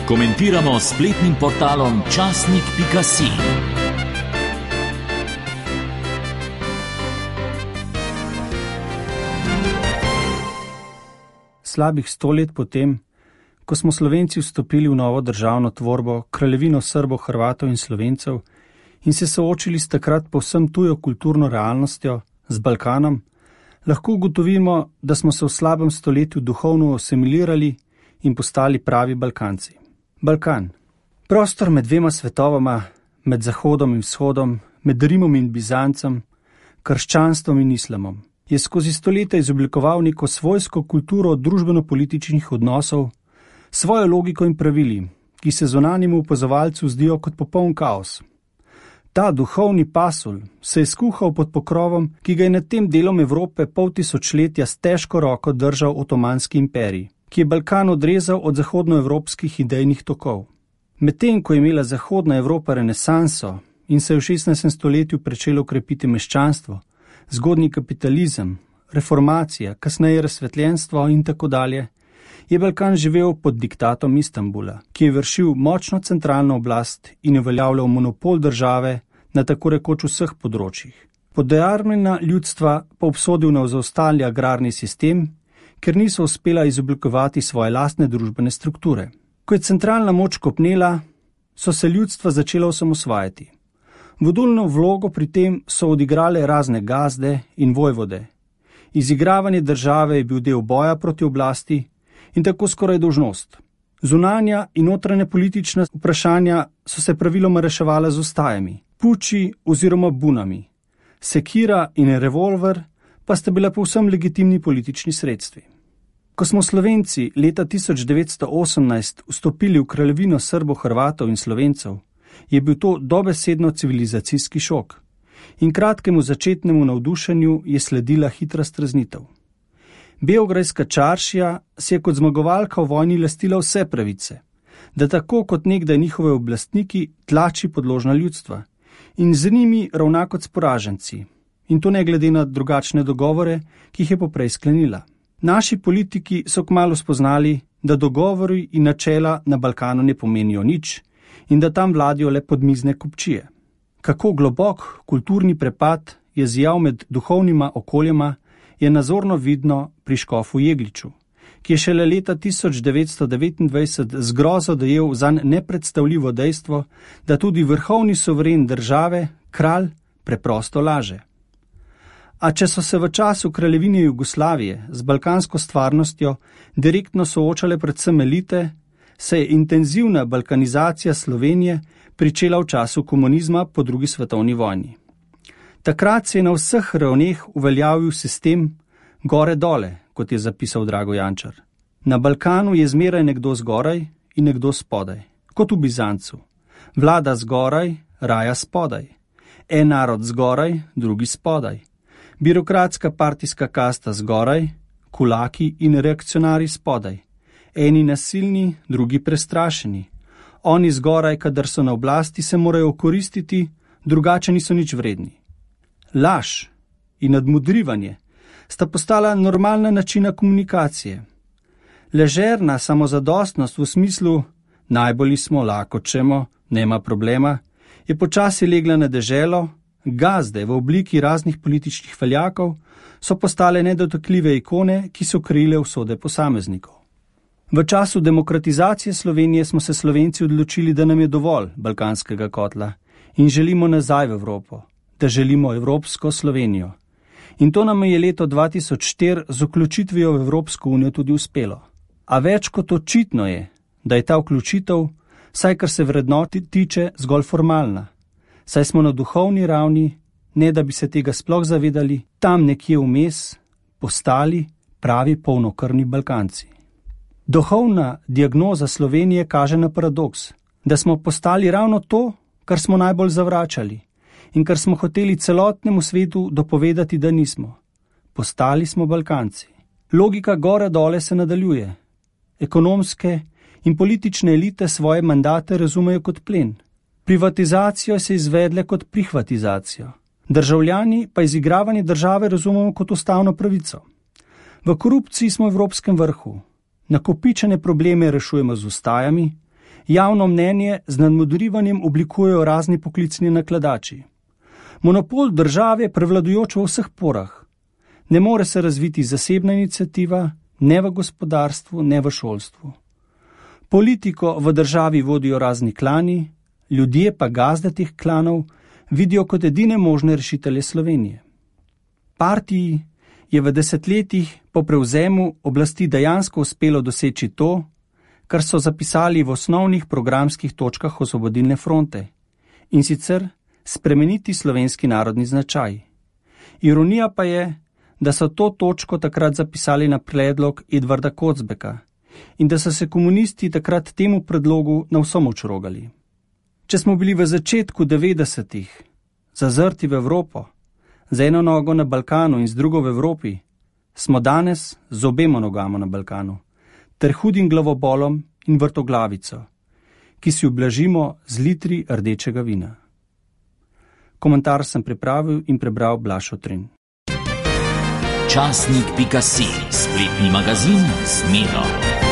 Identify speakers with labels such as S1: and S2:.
S1: Komentiramo s spletnim portalom časnik.si.
S2: Slabih 100 let potem, ko smo Slovenci vstopili v novo državno tvorbo, kraljevino Srbov, Hrvatov in Slovencev, in se soočili s takrat povsem tujo kulturno realnostjo, z Balkanom, lahko ugotovimo, da smo se v slabem stoletju duhovno asimilirali in postali pravi Balkanci. Balkan. Prostor med dvema svetovama, med Zahodom in Vzhodom, med Rimom in Bizancem, krščanstvom in islamom, je skozi stoletja izoblikoval neko svojsko kulturo družbeno-političnih odnosov, svojo logiko in pravili, ki se zunanjemu opazovalcu zdijo kot popoln kaos. Ta duhovni pasulj se je skuhal pod pokrovom, ki ga je nad tem delom Evrope pol tisočletja s težko roko držal Otomanski imperij, ki je Balkan odrezal od zahodnoevropskih idejnih tokov. Medtem, ko je imela Zahodna Evropa renesanso in se je v 16. stoletju pričelo krepiti meščanstvo, zgodnji kapitalizem, reformacija, kasneje razsvetljenstvo in tako dalje, je Balkan živel pod diktatom Istanbula, ki je vršil močno centralno oblast in uveljavljal monopol države na tako rekoč vseh področjih. Podejarmljena ljudstva pa obsodil na zaostali agrarni sistem, ker niso uspela izoblikovati svoje lastne družbene strukture. Ko je centralna moč kopnela, so se ljudstva začela osamosvajati. Vodilno vlogo pri tem so odigrale razne gazde in vojvode. Izigravanje države je bil del boja proti oblasti in tako skoraj dolžnost. Zunanja in notranja politična vprašanja so se praviloma reševala z ustajami, puči oziroma bunami. Sekira in revolver pa sta bila povsem legitimni politični sredstvi. Ko smo Slovenci leta 1918 vstopili v kraljevino Srbov, Hrvatov in Slovencev, je bil to dobesedno civilizacijski šok in kratkemu začetnemu navdušenju je sledila hitra streznitev. Beograjska čaršija si je kot zmagovalka v vojni lastila vse pravice, da tako kot nekdaj njihove oblastniki tlači podložna ljudstva in z njimi ravna kot s poraženci, in to ne glede na drugačne dogovore, ki jih je poprej sklenila. Naši politiki so kmalu spoznali, da dogovori in načela na Balkanu ne pomenijo nič in da tam vladijo le podmizne kupčije. Kako globok kulturni prepad je zjal med duhovnima okoljema, je nazorno vidno pri škofu Jegliču, ki je šele leta 1929 z grozo dojel zanj nepredstavljivo dejstvo, da tudi vrhovni soveren države, kralj, preprosto laže. A če so se v času kraljevine Jugoslavije z balkansko stvarnostjo direktno soočale predvsem elite, se je intenzivna balkanizacija Slovenije pričela v času komunizma po drugi svetovni vojni. Takrat se je na vseh ravneh uveljavil sistem gore-dole, kot je zapisal Drago Jančar. Na Balkanu je zmeraj nekdo zgoraj in nekdo spodaj, kot v Bizancu. Vlada zgoraj, raja spodaj. En narod zgoraj, drugi spodaj. Birokratska partijska kasta zgoraj, kulaki in reakcionari spodaj. Eni nasilni, drugi prestrašeni. Oni zgoraj, kadar so na oblasti, se morajo okoristiti, drugače niso nič vredni. Laž in nadmudrivanje sta postala normalna načina komunikacije. Ležerna samozadostnost v smislu najbolj smo, lahko čemo, nema problema, je počasi legla na deželo, gazde v obliki raznih političnih veljakov so postale nedotakljive ikone, ki so krile usode posameznikov. V času demokratizacije Slovenije smo se Slovenci odločili, da nam je dovolj balkanskega kotla in želimo nazaj v Evropo, da želimo evropsko Slovenijo. In to nam je leto 2004 z vključitvijo v Evropsko unijo tudi uspelo. A več kot očitno je, da je ta vključitev, saj kar se vrednoti tiče, zgolj formalna. Saj smo na duhovni ravni, ne da bi se tega sploh zavedali, tam nekje vmes postali pravi polnokrvni Balkanci. Duhovna diagnoza Slovenije kaže na paradoks, da smo postali ravno to, kar smo najbolj zavračali in kar smo hoteli celotnemu svetu dopovedati, da nismo. Postali smo Balkanci. Logika gore-dole se nadaljuje. Ekonomske in politične elite svoje mandate razumejo kot plen. Privatizacijo se izvedle kot prihvatizacijo. Državljani pa izigravanje države razumemo kot ustavno pravico. V korupciji smo v evropskem vrhu. Nakopičene probleme rešujemo z ustajami, Javno mnenje z nadmudrivanjem oblikujejo razni poklicni nakladači. Monopol države je prevladujoč v vseh porah. Ne more se razviti zasebna iniciativa, ne v gospodarstvu, ne v šolstvu. Politiko v državi vodijo razni klani, ljudje pa gazde teh klanov vidijo kot edine možne rešitelje Slovenije. Partiji je v desetletjih po prevzemu oblasti dejansko uspelo doseči to, kar so zapisali v osnovnih programskih točkah Osvobodilne fronte, in sicer spremeniti slovenski narodni značaj. Ironija pa je, da so to točko takrat zapisali na predlog Edvarda Kocbeka in da so se komunisti takrat temu predlogu na vso moč rogali. Če smo bili v začetku 90-ih zazrti v Evropo, z eno nogo na Balkanu in z drugo v Evropi, smo danes z obema nogama na Balkanu, ter hudim glavobolom in vrtoglavico, ki si ublažimo z litri rdečega vina. Komentar sem pripravil in prebral Blaž Otrin.
S1: Časnik.si, spletni magazin z Miro.